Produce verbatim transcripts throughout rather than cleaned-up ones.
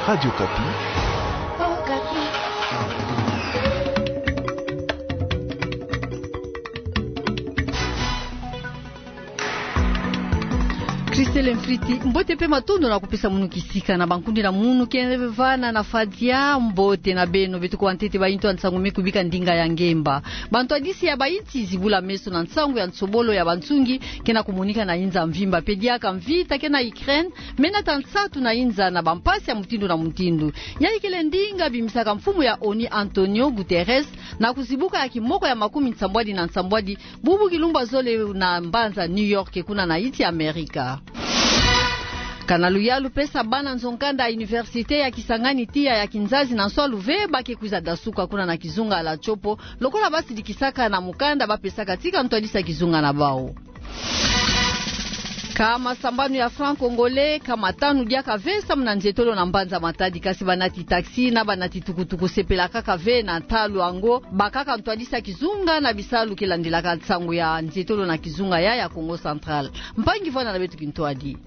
Radio Okapi. Christelle Mfriti, mbote pe matondo na kupesa munu kisika na bankundi na munu ke vana na fadia. Mbote na beno, beto kwa ntete baintu ya nsangu me kubika ndinga ya ngemba. Bantwadisi ya bainsi zibula meso na nsangu ya nsobolo ya bansungi ke na kumonika na inza mvimba, pe diaka mvita ke na Ukraine me nata nsatu na inza na bampasi ya mutindu na mutindu. Yayi kele ndinga bimisaka mfumu ya ONU Antonio Guterres na kuzibuka ya kimoko ya makumi nsambwadi na nsambwadi bubu kilumbu ya zole na mbanza New York kuna na insi ya Amerika. Kana luyalu pesa bana nzo-nkanda ya Université ya Kisangani tiya ya kinzazi na nswalu ve ba ke kwiza dasuka kuna na kizunga la Tshopo, lokola ba sidikisaka na mukanda ba pesaka tika ntwadisi ya kizunga na bau. Kama sambanu ya franc congolais, kama tanu diaka ve samu na nzietolo na mbanza Matadi, kasi banati taxi na banati tukutuku sepelaka kaka ve na ntalu yango, bakaka ntwadisi ya kizunga na bisalu ke landilaka nsangu ya nzietolo na kizunga ya, ya Kongo Central. Mpangi vana na beto kintwadi.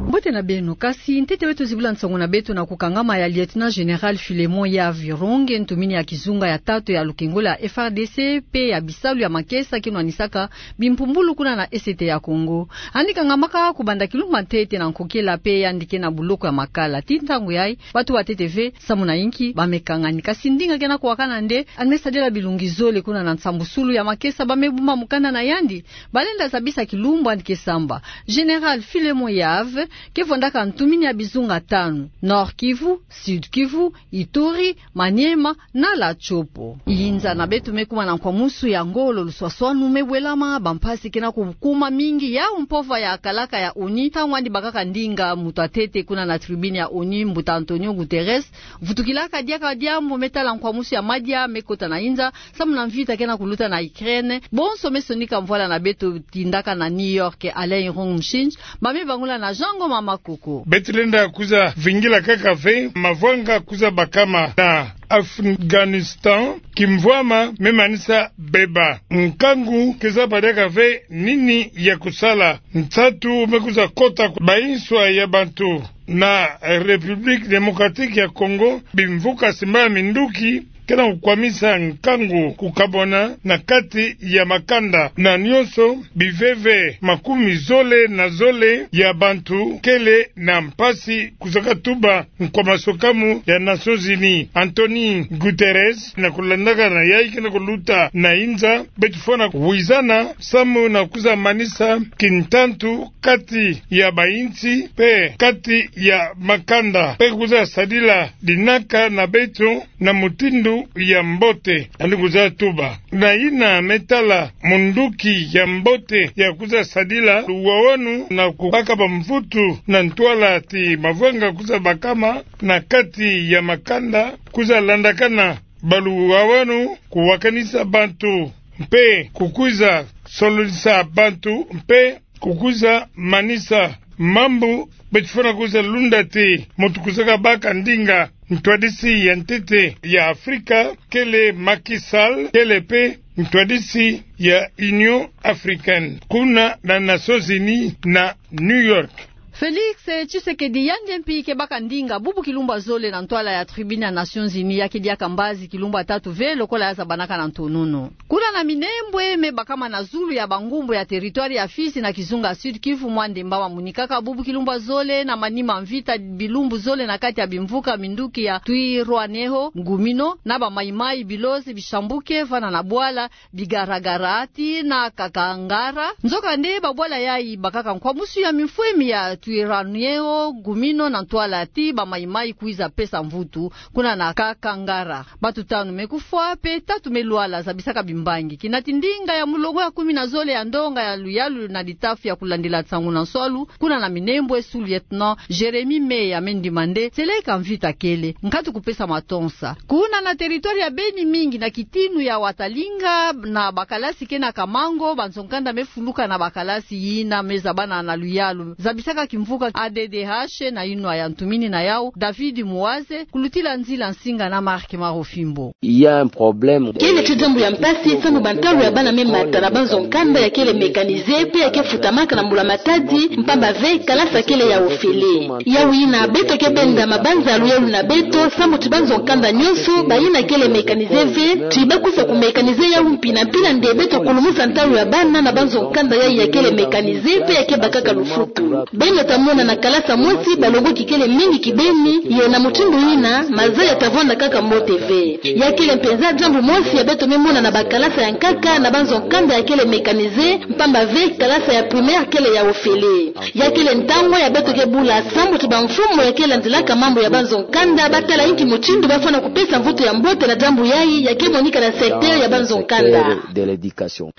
Mbote na beno, kasi ntete beto zibula nsangu na beto na kukangama ya Lieutenant Général Philémon Yave Ronge, ntumini ya kizunga ya tatu ya lukengo la F R D C, pe ya bisalu ya makesa ke nwanisaka bimpumbulu kuna na Est ya Kongo. Yandi kangamaka kubanda kilumbu ya ntete na nkokela, pe yandi ke na buloko ya makala. Tii ntangu yayi, bantu ba ntete ve samu na inki ba me kangani. Kasi ndinga ke na kuwakana nde, yandi me sadila bilungi zole kuna na nsambusulu ya makesa ba me bumba mukanda na yandi. Balenda zabisa kilumbu yandi ke samba. Général Philémon Yave ke vwandaka ntumini ya bizunga tanu: Nord-Kivu, Sud-Kivu, Ituri, Maniema na la Tshopo. Inza na beto me kuma na nkwamusu ya ngolo, luswaswanu me welama, bampasi ke na kukuma mingi. Yau mpova ya kalaka ya ONU, ntangu yandi bakaka ndinga, muntu ya ntete kuna na tribune ya ONU, mbuta Antonio Guterres, vutukilaka diaka diambu me tala nkwamusu ya madia me kota na inza, samu na mvita ke na kuluta na Ukraine. Bonso me sonika mvwala na beto tindaka na New York, Alain Irung Mshinj, ba me bangula na Jean Ngoma Makoko. Beto lenda kwiza vingila kaka ve mavwanga kwiza bakama na Afghanistan, kimvwama me manisa beba. Nkangu ke zaba diaka ve nini ya kusala. Nsatu me kwiza kota ku banswa ya bantu na République Démocratique ya Congo, bimvuka simbala minduki ke na kukwamisa nkangu, kukabwana na kati ya makanda. Na nyonso biveve makumi zole na zole ya bantu kele na mpasi kwiza katuba nkwamasokamu ya Nations Unies. Antonio Guterres, na kulandaka na yayi ke na kuluta na inza, beto fwana wizana samu na kwiza manisa kintantu kati ya bainsi pe kati ya makanda, pe kwiza sadila dinaka na beto na mutindu ya mbote. Yandi kwiza tuba na yina me tala munduki ya mbote ya kwiza sadila luwawanu na kubaka bamvutu na ntwala ti mavwanga kwiza bakama na kati ya makanda, kwiza landakana baluwawanu, kuwakanisa bantu mpe kukwiza sololisa bantu mpe kukwiza manisa mambu. Beto fwana kwiza lunda ti muntu kwiza kabaka ndinga, ntwadisi ya ntete ya Afrika kele Macky Sall, kele pe ntwadisi ya Union Africaine kuna na Nations Unies na New York. Félix Tshisekedi, yandi mpi ke baka ndinga bubu kilumbu ya zole na ntwala ya tribune ya Nations Unies, ya ke diaka mbazi kilumbu ya tatu ve lokola ya zabanaka na ntonono. Kuna na Minembwe, me bakama na zulu ya bangumbu ya territoire ya Fizi na kizunga Sud-Kivu, mwa ndemba mamonikaka bubu kilumbu ya zole na manima mvita bilumbu zole na kati ya bimvuka minduki ya Twirwaneho, Gumino na ba Mai-Mai, bilozi, bishambuke vana na bwala, bigaragara ti na Kakangara. Nzokande babwala yayi bakaka nkwamusu ya mimfwemi ya Twirwaneho, Gumino na ntwala ti ba Mai-Mai kwiza pesa mvutu kuna na Kakangara. Bantu tanu me kufwa, pe tatu me lwala, zabisaka bimbangi. Kinati ndinga ya mulongo ya kumi na zole ya ndonga ya luyalu na litafu ya kulandila nsangu na nswalu kuna na Minembwe, sous-lieutenant Jérémie Meya, me ndima nde seleka mvita kele nkatu kupesa matonsa. Kuna na territoire ya Beni, mingi na kitinu ya Watalinga na bakalasi ke na Kamango, banzo-nkanda me fuluka na bakalasi yina me zabana na luyalu. Zabisaka kimvuka A D D H na inwa ya ntumini na yau, David Muwaze, kulutila nzila nsinga na Marc Marofimbo. Il y a un problème. Kele ti diambu ya mpasi, sambu bantalu ya bana me mata na banzo-nkanda ya kele mécanisé, pe ya ke futamaka na mbula matadi, mpamba ve kalasa kele ya ofele. Yau yina, beto ke benda mabanza ya luyalu na beto, sambu ti banzo-nkanda nyonso, bayina kele mécanisé ve, ti bakwiza ku mécanisé yau mpila mpila nde beto kulumusa ntalu ya bana na banzo-nkanda yayi ya kele mécanisé, pe ya ke bakaka lufutu. Beno ta mona na kalasa mosi, balongoki kele mingi kibeni, ye na mutindu yina, maza ya ta vwanda kaka mbote ve. Ya kele mpenza diambu mosi ya beto me mona na bakalasa ya nkaka na banzo-nkanda ya kele mécanisé, mpamba ve kalasa ya primaire kele ya ofele. Ya kele ntangu ya beto ke bula sambu ti bamfumu ya ke landilaka mambu ya banzo-nkanda, batala inki mutindu bafwana kupesa mvutu ya mbote na diambu yayi ya ke monika na secteur ya banzo-nkanda.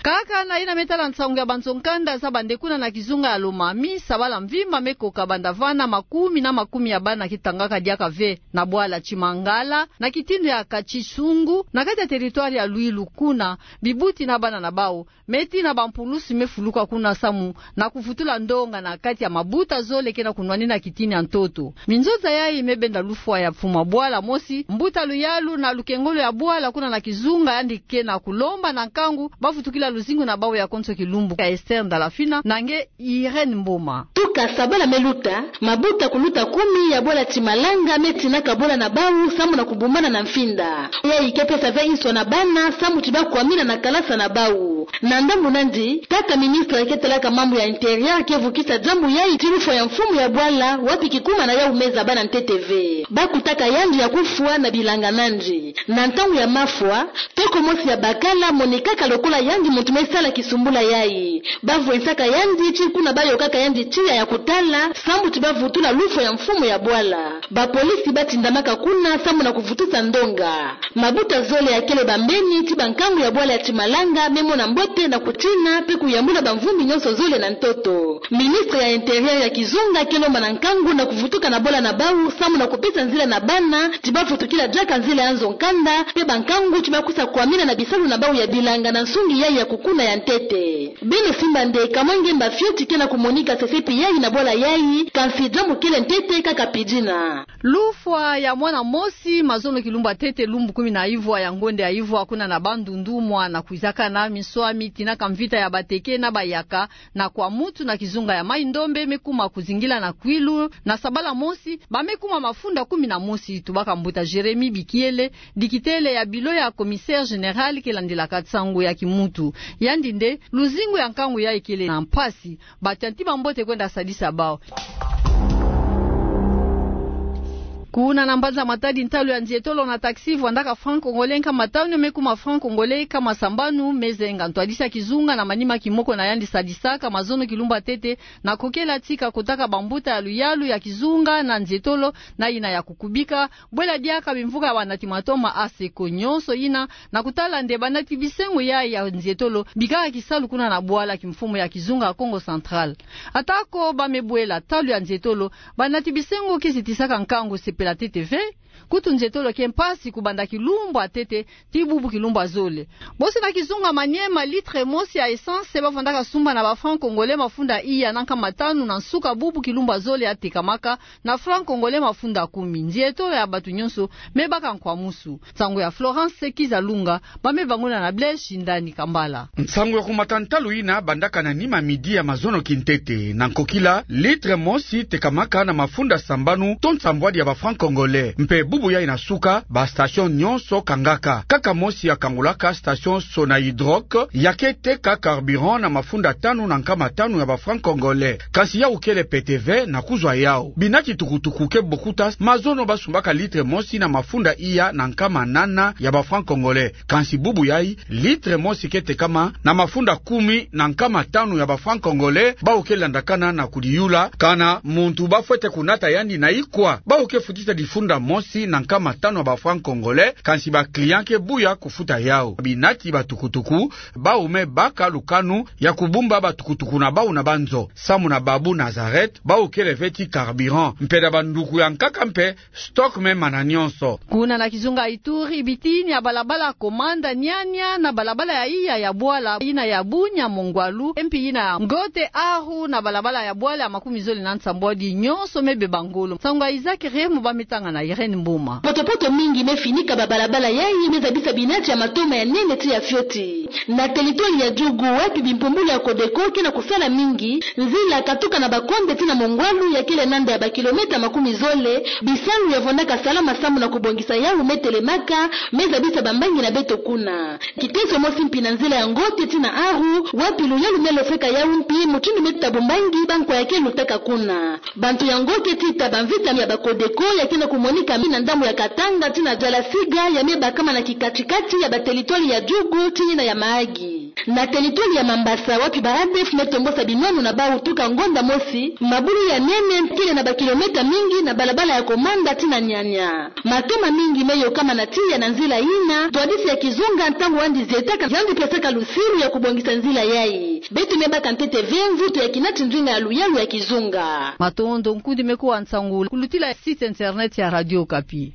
Kaka na yina me tala nsangu ya banzo-nkanda za bande kuna na kizunga ya Lomami, sabala mvimba me koka banda vana, makumi na makumi ya bana ke tangaka diaka ve na bwala Tshimangala, na kitindu ya Katsisungu, na kati ya territoire ya Luilu. Kuna, bibuti na bana na bau, me tina bampulusi me fuluka kuna samu na kuvutula ndonga na kati ya mabuta zole ke na kunwanina kitini ya ntoto. Minzonza yayi me benda lufwa ya mfumu ya bwala mosi, mbuta luyalu na lukengolo ya bwala kuna na kizunga, yandi ke na kulomba na nkangu bavutukila luzingu na bau ya konso kilumbu, ka Esther Ndalafina na nge Irène Mboma. Tuka sabala me luta, mabuta kuluta kumi ya bwala Tshimangala me tinaka bwala na bau samu na kubumbana na mfinda. Yayi ke pesa ve inso na bana samu ti bakwamina na kalasa na bau. Na ndambu nandi, tata ministre ke talaka mambu ya intérieur ke vukisa diambu yayi ti lufwa ya mfumu ya bwala, wapi kikuma na yau me zaba na ntete ve. Bakutaka yandi ya kufwa na bilanga nandi. Na ntangu ya mafwa, toko mosi ya bakala monikaka lokola yandi muntu me sala kisumbula yayi. Bavwensaka yandi tii kuna bayokaka yandi tiya ya kutala, sambu ti bavutula lufwa ya mfumu ya bwala. Bapolisi batindamaka kuna samu na kuvutusa ndonga. Mabuta zole ya kele bambeni ti bankangu ya bwala ya Tshimangala me mona mbote na kutina pe kuyambula bamvumbi nyonso zole na ntoto. Ministre ya intérieur ya kizunga ke lomba na nkangu na kuvutuka na bwala na bau samu na kupesa nzila na bana ti bavutukila diaka nzila ya nzo-nkanda, pe bankangu ti bakwiza kwamina na bisalu na bau ya bilanga na nsungi yayi ya kukuna ya ntete. Beno simba nde kamwenge mba fioti ke na kumonika sesepi yayi na bwala yayi, kansi diambu kele ntete kaka pidina. Lufwa ya mwana mosi mazono kilumbu ya ntete, lumbu kumi na ivwa ya ngonde ya ivwa, kuna na Bandundu, mwana kwizaka na minswami, tinaka mvita ya bateke na bayaka na kwa mutu na kizunga ya Mai-Ndombe, me kuma kuzingila na Kwilu. Na sabala mosi, ba me kuma mafunda kumi na mosi, tubaka mbuta Jérémie Bikiele, dikitele ya bilo ya commissaire général ke landilaka nsangu ya kimuntu. Yandi nde, luzingu ya nkangu yayi kele na mpasi, batia ntima mbote kwenda sadisa bau. Kuna na mbanza Matadi, ntalu ya nzietolo na taxi vwandaka franc congolais nkama tanu, me kuma franc congolais nkama sambanu, me zenga ntwadisi ya kizunga na manima kimoko na yandi sadisaka mazono kilumbu ya ntete, na kokela tika kotaka bambuta ya luyalu ya kizunga na nzietolo, na yina ya kukubika, bwela diaka bimvuka ya banati matoma aseko nyonso yina, na kutala nde banati bisengo yayi ya nzietolo bikaka kisalu kuna na bwala kimfumu ya kizunga ya Kongo Central. Atako ba me bwela ntalu ya nzietolo, banati bisengo ke zitisaka nkangu sepela ntete ve. Kutu nzietolo ke mpasi kubanda kilumbu ya ntete tii bubu kilumbu ya zole. Bosi na kizunga Maniema, litre mosi ya essence bavwandaka sumba na ba franc congolais mafunda iya na nkama tanu, na nsuka bubu kilumbu ya zole yatekamaka na franc congolais mafunda kumi. Nzietolo ya batu nyonso me baka nkwamusu. Nsangu ya Florence Kizalunga, ba me banguna na Blaise Shindani Kambala. Nsangu ya kumata ntalu yina bandaka na nima midi ya mazono kintete. Na nkokila, litre mosi tekamaka na mafunda sambanu to nsambwadi ya ba franc congolais. Mpe bubu yayi na suka, ba station nyonso kangaka. Kaka mosi ya kangulaka, station Sonahydroc, ya ke teka carburant na mafunda tanu na nkama tanu ya ba franc congolais. Kansi yau kele pete ve na kuzwa yau. Binati tukutuku ke bokuta mazono basumbaka litre mosi na mafunda iya na nkama nana ya ba franc congolais. Kansi bubu yayi, litre mosi ke tekama na mafunda kumi na nkama tanu ya ba franc congolais, bau ke landakana na kudiyula kana muntu bafwete kunata yandi na ikwa. Bau ke futisa difunda mosi kati na nkama tanu ya ba francs congolais, kansi ba clients ke buya kufuta yawu. Binati batukutuku, bawu me baka lukanu ya kubumba batukutuku na bawu na banzo. Samu na Babu Nazareth, bawu kele feti carburant. Mpeda banduku ya nkaka mpe, stock me mana nyonso. Kuna na kizunga Ituri, bitini ya balabala Komanda Niania na balabala ya iya ya bwala, yina ya Bunia Mongwalu, mpi yina ya Ngote Aru na balabala ya bwala ya makumi zole na nsambwadi, nyonso me beba ngolo. Nsangu ya Isaac Remo, bâ me tanga na Irène Mboma. Potopoto mingi me finika babalabala yayi, me zabisa binati ya matoma ya nene tii ya fioti. Na territoire ya Djugu, wapi bimpumbulu ya Codeco ke na kusala mingi, nzila katuka na Bakonde tii na Mongwalu ya kele nanda ya bakilomètre makumi zole, bisalu ya vondaka salama samu na kubongisa yawu me telemaka, me zabisa bambangi na beto kuna. Kiteso mosi mpi na nzila ya Ngote tii na Aru, wapi luyalu me lofeka yawu mpi, mutindu me tuta bumbangi bankwa ya ke lutaka kuna. Bantu ya Ngote tii ta bamvita ya ba Codeco ya ke na kumonika na ndambu ya Katanga tii na Djalasiga, ya me bakama na kikatikati ya ba territoire ya Djugu tii na ya Mahagi. Na territoire ya Mambasa, wapi ba ADF me tombosa binwanu na bawu tuka ngonda mosi, mabulu ya nene kele na bakilomètre mingi na balabala ya Komanda tii na Niania. Matoma mingi me yokama na tiya na nzila yina, twadisi ya kizunga ntangu yandi zietaka, yandi pesaka lusilu ya kubongisa nzila yayi. Beto me baka ntete ve mvutu ya kinati ndinga ya luyalu ya kizunga. Matondo, nkundi me kuwa nsangu, kulutila site internet ya Radio Okapi.